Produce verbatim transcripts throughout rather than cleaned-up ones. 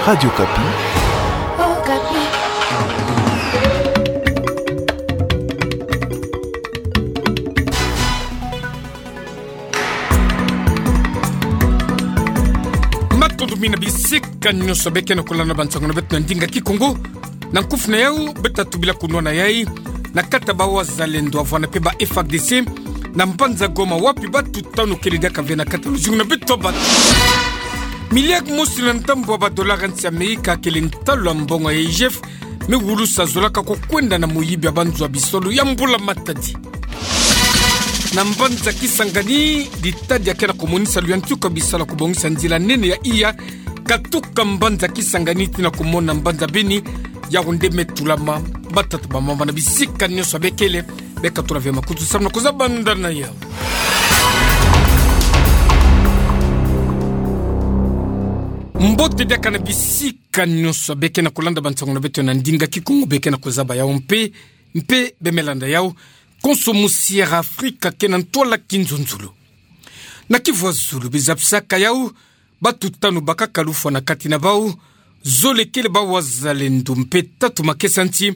Radio Okapi. Matondo mingi na bisika nyonso beke na kolanda bansango na beto na ndinga Kikongo. Na nkufi na yau, beta tubila kunwana yai na kati ya bawazalendo, wavwani pe ba F A R D C na mbanza Goma, wapi batu tanu kele diaka ve na kati ya luzingu na beto ya bato. Miliari mosi na ndambu ya badola ya nsi ya Amerika kele ntalu ya mbongo ya I G F, me wulusa zolaka kukwenda na moyibi ya banzo ya bisolo ya mbula matadi. Na mbanza Kisangani, ditadi ya ke na kumonisa luyantiku ya bisalu ya kubongisa nzila nene ya iya katuka mbanza Kisangani tii na kumona mbanza Beni, yau nde me tulama. Batata, bamama, na bisika nyonso bekele, beka tula ve makutu samu na kuzabanda na yau. Mbote diaka na bisika nyonso beke na kolanda bansango na beto na ndinga Kikongo, beke na kuzaba yau mpe, mpe be me landa yau konso. Musi ya Afrika ke na ntwala kinzonzolo. Na Kivu ya Zulu, bizapisaka yau, batu tanu bakaka lufwa na kati na bau, zole kele bawazalendo mpe tatu makesa nti,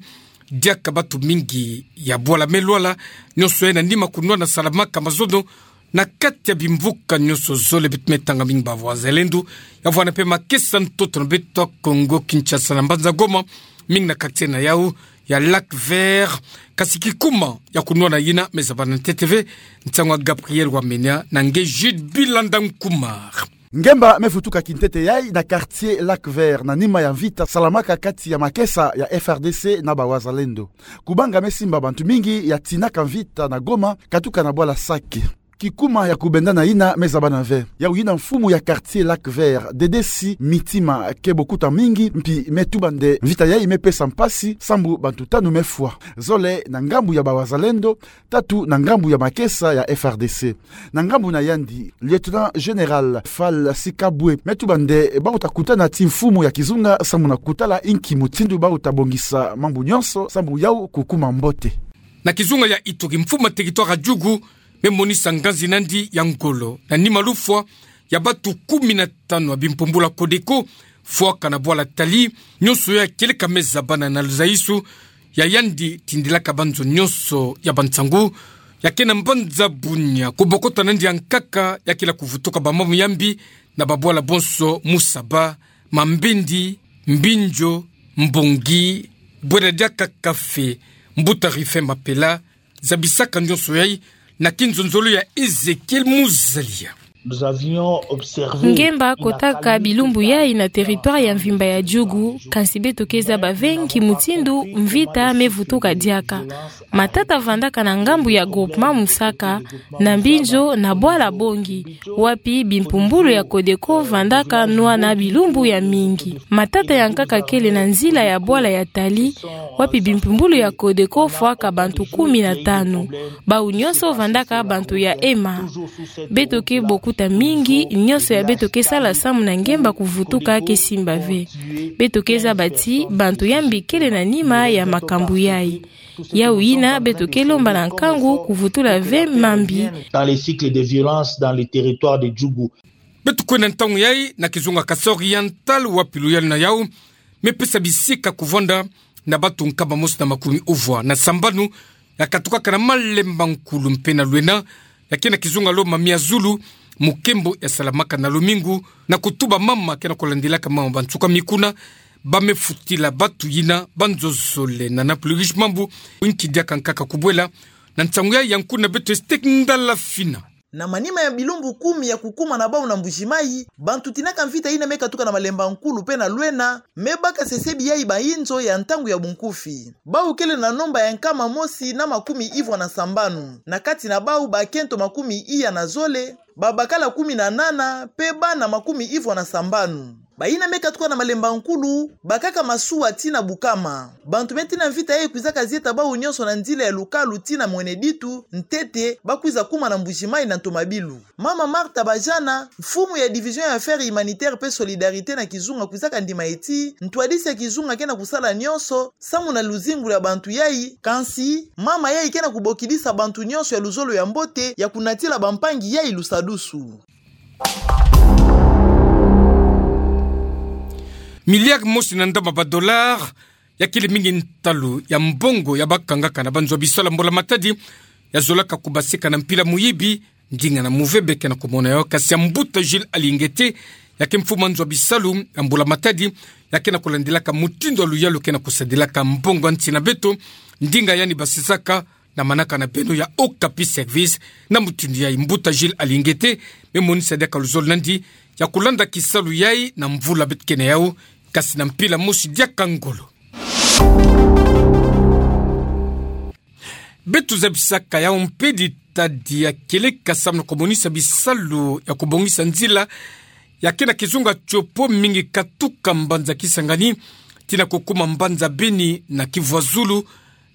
diaka batu mingi ya bwala me lwala, nyonso yai na nima kunwana salamaka mazono na kati ya bimvuka nyonso zole. Beto me tanga mingi bawazalendo, ya vwanda mpe makesa ntoto na beto ya Kongo Kinshasa na mbanza Goma, mingi na quartier na yau ya Lac Vert. Kasi kikuma ya kunwana yina me zabana ntete ve, nsangu ya Gabriel Wamenya na nge Jude Bilanda Nkumar. Ngemba me vutuka kintete yai na quartier Lac Vert na nima ya mvita salamaka kati ya makesa ya F A R D C na bawazalendo. Kubanga me simba bantu mingi ya tinaka mvita na Goma katuka na bwala Sake. Kikuma ya kubendana yina me zabana ve. Yau yina mfumu ya quartier Lac Vert, Dedesi Mitima, ke bokuta mingi, mpi me tuba nde mvita yai me pesa mpasi, sambu bantu tanu me fwa. Zole na ngambu ya bawazalendo, tatu na ngambu ya makesa ya F A R D C. Na ngambu na yandi, Lieutenant Général Fall Sikabwe me tuba nde bau ta kutana ti mfumu ya kizunga samu na kutala inki mutindu bau ta bongisa mambu nyonso samu yau kukuma mbote. Na kizunga ya Ituri, mfumu ya territoire ya Djugu me monisa nganzi na yandi ya ngolo na nima lufwa ya batu kumi na tanu ya bimpumbulu ya Codeco fwaka na bwala Tali, nyonso ya kieleka me zabana na luzaisu ya yandi tindilaka banzo nyonso ya bansangu ya ke na mbanza Bunia. Kubokota na yandi ya nkaka ya kila kuvutuka bamambu ya mbi na babwala bonso: Musaba, Mambindi, Mbinjo, Mbongi, bwela diaka kafe, mbuta Rufin Mapela, zabisaka nyonso yai na kinzonzolo ya Ezekiel Muzalia. Nous avions observé. Ngemba kotaka bilumbu yai na territoire ya mvimba ya Djugu, kasi beto ke zaba ve nki mutindu mvita me vutuka diaka. Matata vandaka na ngambu ya groupement Musaka, na Mbinjo, na bwala Bongi, wapi bimpumbulu ya Codeco vandaka nwana bilumbu ya mingi. Matata ya nkaka kele na nzila ya bwala ya Tali, wapi bimpumbulu ya Codeco fwaka bantu kumi na tanu. Bau nyonso vandaka bantu ya ema. Beto ke bokuta mingi, nyonso ya beto ke sala samu na ngemba kuvutuka ke simba ve. Beto ke zaba ti bantu ya mbi kele na nima ya makambu yai. Yau yina beto ke lomba na nkangu kuvutula ve mambi. Dans les cycles de violence dans le territoire de Djugu. Beto kwenda ntangu yai na kizunga Kasaï Oriental, wapi luyalu na yau me pesa bisika kuvwanda na batu nkama mosi na makumi uvwa na sambanu ya katukaka na Malemba Nkulu mpe na Lwena, ya ke na kizunga Lomami ya zulu, mukembo ya salamaka na lumingu, na kutuba mama ke na kulandilaka mama bansuka mikuna, ba me futila batu yina banzo zole na Napoli Riche Mambu. Inki diaka nkaka kubwela na nsangu yai ya nkuna beto Estek Ndala Fina. Na manima ya bilumbu kumi ya kukuma na bau na Mbuji-Mayi, bantu tinaka mvita yina me katuka na Malemba Nkulu mpe na Lwena me baka sesebi yai bayinzo ya ntangu ya bunkufi. Bau kele na nomba ya nkama mosi na makumi ivwa na sambanu. Na kati na bau bakento makumi iya na zole, babakala kumi na nana, mpe bana makumi ivwa na sambanu. Bayina me katuka na Malemba Nkulu bakaka masuwa tii na Bukama. Bantu me tii na mvita yai kwizaka zieta bau nyonso na nzila ya Lukalu tii na Mwene Ditu, ntete ba kwiza kuma na Mbuji-Mayi na ntomabilu. Mama Martha Bajana, mfumu ya Division ya Affaires Humanitaires mpe Solidarité na kizunga, kwizaka ndima ti ntwadisi ya kizunga ke na kusala nyonso samu na luzingu lwa bantu yai, kansi mama yai ke na kubokidisa bantu nyonso ya luzolo ya mbote ya kunatila bampangi yai lusadusu. Milliard mosi na ndamba ba dollar, ya kele mingi ntalu ya mbongo ya bakangaka na banzo ya bisalu ya mbula matadi, ya zolaka kubasika na mpila muyibi, ndinga na muvebe ke na kumona yawu. Kasi ya mbuta Jules Aly Ingete, ya ke mfumu ya nzo ya bisalu ya mbula matadi, ya ke na kulandilaka mutindu ya luyalu ke na kusadilaka mbongo ya nsi na beto, ndinga yandi basisaka na manaka na beno ya Okapi Service. Na mutindu yayi, mbuta Jules Aly Ingete me monisa diaka luzolo na yandi ya kulanda kisalu yayi na mvula beto ke na yawu, kasi na mpila mosi diaka ngolo. Beto zabisaka yawu mpe ditadi ya kieleka samu na kumonisa bisalu ya kubongisa nzila ya ke na kizunga Tshopo, mingi katuka mbanza Kisangani tii na kukuma mbanza Beni na Kivu ya Zulu,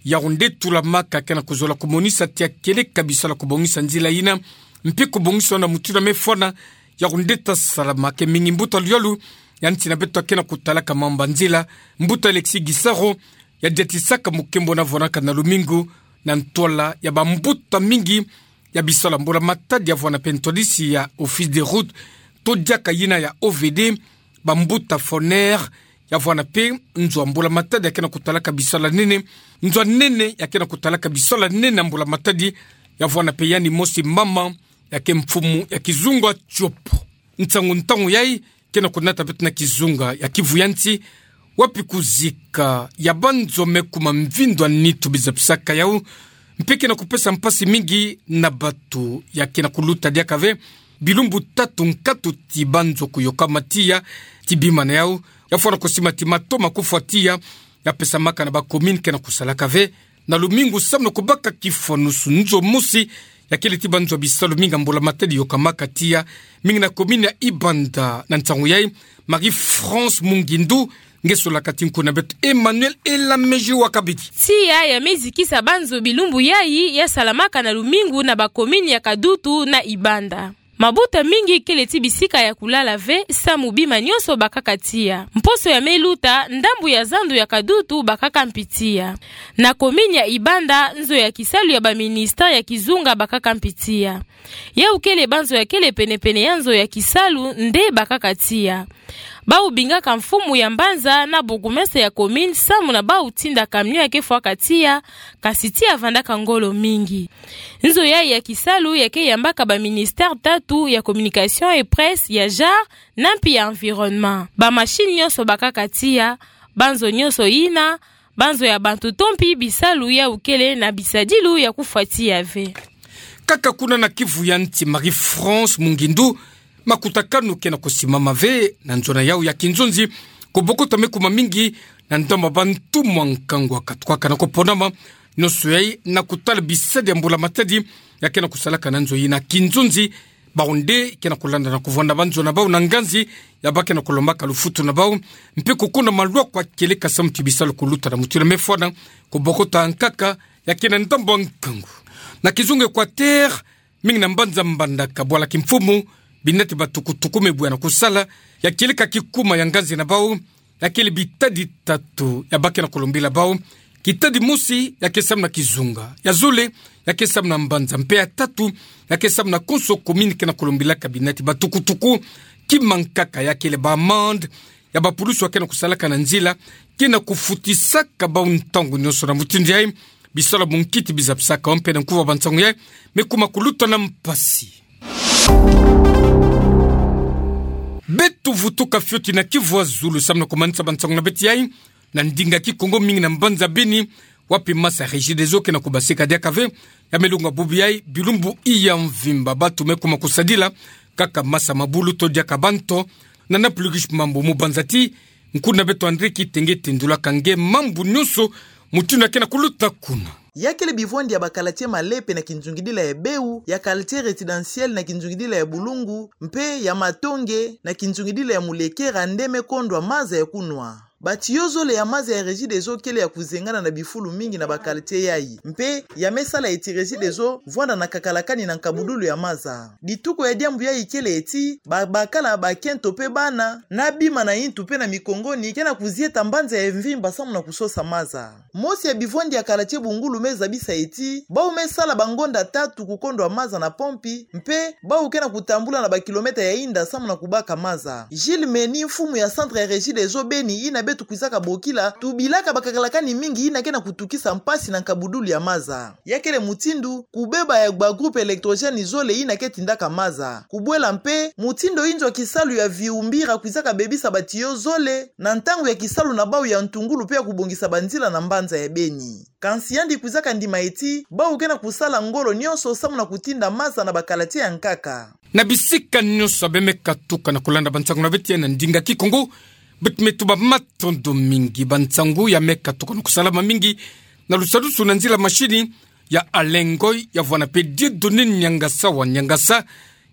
yawu nde tulamaka ke na kuzola kumonisa tii ya kieleka bisalu ya kubongisa nzila yina, mpe kubongisa yawu na mutindu ya mefwana, yawu nde ta salama ke mingi. Mbuta luyalu ya nsi na beto ya ke na kutalaka mambu ya nzila, mbuta Alexis Gisaro, ya diatisaka mukembo na vwanaka na lumingu na ntwala ya bambuta mingi ya bisalu ya mbula matadi, ya vwana mpe ntwadisi ya Office des Routes, to diaka yina ya O V D, bambuta Foner, ya vwana mpe nzo ya mbula matadi ya ke na kutalaka bisalu ya nene, nzo ya nene ya ke na kutalaka bisalu ya nene ya mbula matadi, ya vwana mpe yandi mosi mama ya ke mfumu ya kizunga Tshopo. Nsangu ntangu yayi ke na kunata beto na kizunga ya Kivu ya nsi, wapi kuzika ya banzo me kuma mvindu ya nitu bizapisaka yawu, mpe ke na kupesa mpasi mingi na bato ya ke na kuluta diaka ve bilumbu tatu nkatu tii banzo kuyoka matiya, tii bima na yawu ya fwana kusima tii mato ma kufwa tiya, ya pesamaka na ba commune ke na kusalaka ve na lumingu samu na kubaka kifwanusu. Nzo mosi ya kele tii banzo ya bisalu mingi ya mbula matadi yokamaka tiya, mingi na commune ya Ibanda. Na nsangu yayi, Marie-France Mungindu, nge solaka tii nkuna beto Emmanuel Elamejua Kabidi. Tiya ya me zikisa banzo bilumbu yayi ya salamaka na lumingu na ba commune ya Kadutu na Ibanda. Mabuta mingi kele tii bisika ya kulala ve, samu bima nyonso bakaka tiya. Mposo ya me luta, ndambu ya zandu ya Kadutu bakaka mpi tiya. Na commune ya Ibanda, nzo ya kisalu ya ba ministère ya kizunga bakaka mpi tiya. Yawu kele banzo ya kele pene-pene ya nzo ya kisalu nde bakaka tiya. Bawu bingaka mfumu ya mbanza na bourgmestre ya commune samu na bawu tinda camion ya ke fwaka tiya, kasi tiya vandaka ngolo mingi. Nzo yayi ya kisalu ya ke yambaka ba ministère tatu, ya communication et presse, ya genre, na mpi ya environnement. Ba machine nyonso bakaka tiya, banzo nyonso yina, banzo ya bantu to mpi bisalu yawu kele na bisadilu ya kufwa tiya ve. Kaka kuna na Kivu ya nsi, Marie-France Mungindu, makutakanu ke na kusimama ve na nzo na yawu ya kinzonzi, kubokota me kuma mingi na ndambu ya bantu mwa nkangu wa katuka na kuponama, nyonso yayi na kutala bisadi ya mbula matadi ya ke na kusalaka na nzo yina. Kinzonzi, bawu nde ke na kulanda na kuvwanda banzo na bawu na nganzi ya ba ke na kulombaka lufutu na bawu, mpe kukuna malwa kwa kieleka samu ti bisalu kuluta na mutindu ya mefwana, kubokota nkaka ya ke na ndambu ya nkangu. Na kizunga Equateur, mingi na mbanza Mbandaka, bwala kimfumu, binati ba tukutuku me bwe na kusala, ya kieleka kikuma ya nganzi na bawu, ya kele bitadi tatu ya ba ke na kulombila bawu. Kitadi mosi ya ke samu na kizunga, ya zole ya ke samu na mbanza, mpe ya tatu ya ke samu na konso commune ke na kulombilaka binati ba tukutuku. Kima nkaka ya kele ba amende ya bapulusu ya ke na kusalaka na nzila, ke na kufutisaka bawu ntangu nyonso. Na mutindu yayi, bisalu ya bunkiti bizapisaka yawu mpe na nkuvu ya bansangu yayi me kuma kuluta na mpasi. Beto vutuka fioti na Kivu ya Zulu samu na kumanisa bansangu na beto yayi na ndinga Kikongo, mingi na mbanza Beni, wapi masa Regideso ke na kubasika diaka ve. Ya me longa bubu yayi bilumbu iya mvimba, bato me kuma kusadila kaka masa mabulu to diaka ba nto. Na Naplugush Mambu, mubanzati, nkuna beto André Kitenge tendulaka nge mambu nyonso mutindu ya ke na kuluta kuna. Ya kele bivwandi ya ba quartier Malepe na kinzungidila ya Beu, ya quartier résidentiel na kinzungidila ya Bulungu, mpe ya Matonge na kinzungidila ya Mulekera nde me kondwa maza ya kunwa. Batiyo zole ya maza ya Regideso kele ya kuzengana na bifulu mingi na ba quartier yayi. Mpe ya me sala eti Regideso vwanda na kakalakani na nkabudulu ya maza. Dituko ya diambu yayi kele eti, ba, bakala, bakento mpe bana, na bima na intu mpe na mikongoni, ke na kuzieta mbanza ya mvimba samu na kusosa maza. Mosi ya bivwandi ya quartier Bungulu me zabisa eti, bau me sala bangonda tatu kukondwa maza na pompi, mpe bau ke na kutambula na bakilometa ya inda samu na kubaka maza. Gilles Meni, mfumu ya centre ya Regideso Beni, yina beto kwizaka bokila, tubilaka bakakalakani mingi yina ke na kutukisa mpasi na nkabudulu ya maza. Ya kele mutindu, kubeba ya ba groupe électrogène zole yina ke tindaka maza. Kubwela mpe, mutindu inzo ya kisalu ya Viumbira kwizaka bebisa batiyo zole, na ntangu ya kisalu na bau ya ntungulu mpe ya kubongisa banzila na mbanza ya Beni. Kansi yandi kwizaka ndima eti, bau ke na kusala ngolo nyonso samu na kutinda maza na ba quartier ya nkaka. Na bisika nyonso ya beno me katuka na kulanda bansangu na beto ya na ndinga Kikongo, beto me tuba matondo mingi. Bansangu ya me katuka na kusalama mingi na lusadusu na nzila mashini ya Alain Ngoy, ya vwanda mpe Dieudonné Niangasa wa Niangasa,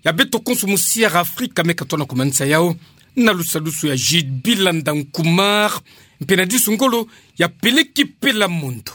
ya beto konso mu Sierra Afrika me katuka na kumanisa yau, na lusadusu ya Jude Bilanda Nkumar, mpe na disu ngolo ya Peleki Pela Mondo.